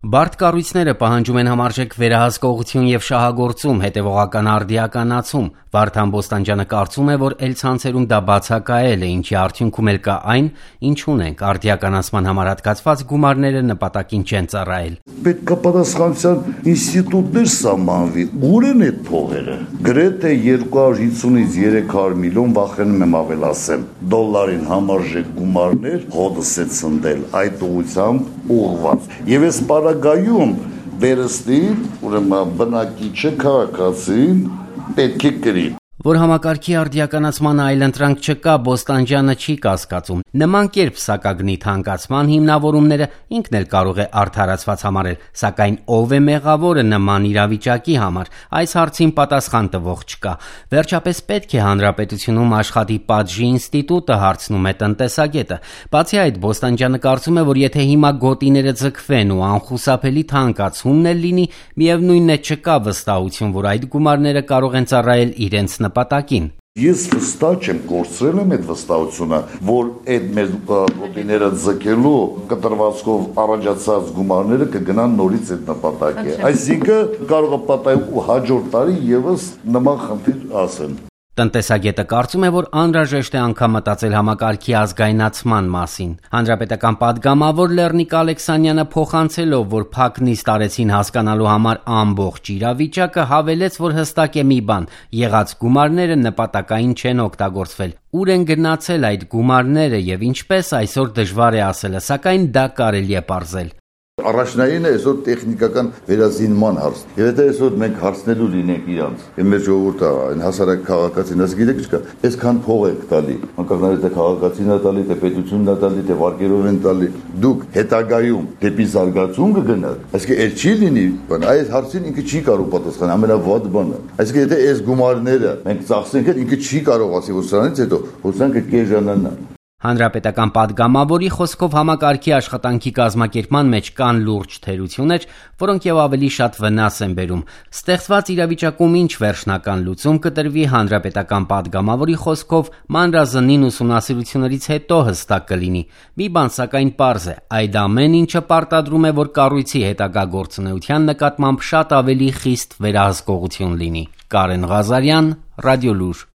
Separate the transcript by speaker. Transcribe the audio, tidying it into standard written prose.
Speaker 1: Բարդ կառույցները պահանջում են համարժեք վերահսկողություն և շահագործում, հետևողական արդիականացում։ Վարդան Բոստանջյանը կարծում է, որ էլցանցերում դա բացակայել է, ինչի արդյունքում էլ կա այն, ինչ ունենք, արդիականացման համար հատկացված գումարները նպատակին չեն ծառայել։
Speaker 2: Պետք է պատասխանության ինստիտուտներ սահմանվի, ուր են այդ փողերը։ Գրեթե 250-ից 300 միլիոն, վախենում եմ ավելացեմ, դոլարին համարժեք գումարներ հոդս է ցնդել այդ ուղղությամբ ուղղված։ Եվ այս պարագայում վերստին, ուրեմն բնակիչը քաղաքացին պետք է կրի։
Speaker 1: Որ համակարգի արդիականացման այլընտրանք չկա, Բոստանջյանը չի կասկածում։ Նման կերպ սակագնի թանկացման հիմնավորումները ինքն էլ կարող է արդարացված համարել, սակայն ով է մեղավորը նման իրավիճակի համար, այս հարցին պատասխան տվող չկա։ Վերջապես պետք է հանրապետությունում աշխատի պատժի ինստիտուտը, հարցնում է տնտեսագետը։ Բացի այդ, Բոստանջյանը կարծում է, որ եթե հիմա գոտիները ձգվեն ու անխուսափելի թանկացումն էլ լինի, միևնույնն է չկա վստահություն, որ այդ գումարները կարող են ծառայել իրենց նպատակին։
Speaker 2: Ես վստահ եմ, կորցրել եմ այդ վստահությունը, որ այդ մեր գոտիները ձգելու կտրվածքով առաջացած գումարները կգնան նորից այդ նպատակի։ Այսինքն կարող է պատահել հաջորդ տարի եւս նման խնդիր ասեն։
Speaker 1: Տնտեսագետը կարծում է, որ անհրաժեշտ է անգամ մտածել համակարգի ազգայնացման մասին։ Հանրապետական պատգամավոր Լեռնիկ Ալեքսանյանը փոխանցելով, որ փակ նիստ արեցին հասկանալու համար ամբողջ իրավիճակը, հավելեց, որ հստակ է մի բան՝ եղած գումարները նպատակային չեն օգտագործվել։ Ուր են գնացել այդ գումարները եւ ինչպես, այսօր դժվար է ասելը, սակայն դա կարելի է պարզել։
Speaker 2: Առաջնային է այսօր տեխնիկական վերազինման հարց։ Եվ եթե այսօր մենք հարցնելու լինենք իրանց, մեր ժողովուրդը, այն հասարակ քաղաքացին, ասի գիտեք ինչքա, այսքան փող եք տալի, անկախ թե քաղաքացին է տալի, թե պետությունն է տալի, թե վարկերով են տալի, դուք հետագայում դեպի զարգացում կգնաք։ Այսինքն այդ չի լինի, այս հարցին ինքը չի կարող պատասխանել, ամենավատ բանը։ Այսինքն եթե այս գումարները մենք ծախսենք, ինքը չի կարող ասի, որ սրանից հետո հոսանքը կեժանանա։
Speaker 1: Հանրապետական պատգամավորի խոսքով համակարգի աշխատանքի կազմակերպման մեջ կան լուրջ թերություններ, որոնք եւ ավելի շատ վնաս են բերում։ Ստեղծված իրավիճակում ինչ վերջնական լուծում կտրվի, հանրապետական պատգամավորի խոսքով մանրազնին ուսումնասիրություններից հետո հստակ կլինի։ Մի բան սակայն պարզ է, այդ ամեն ինչը պարտադրում է, որ կառույցի հետագա գործունեության նկատմամբ շատ ավելի խիստ վերահսկողություն լինի։ Կարեն Ղազարյան, Ռադիոլուր։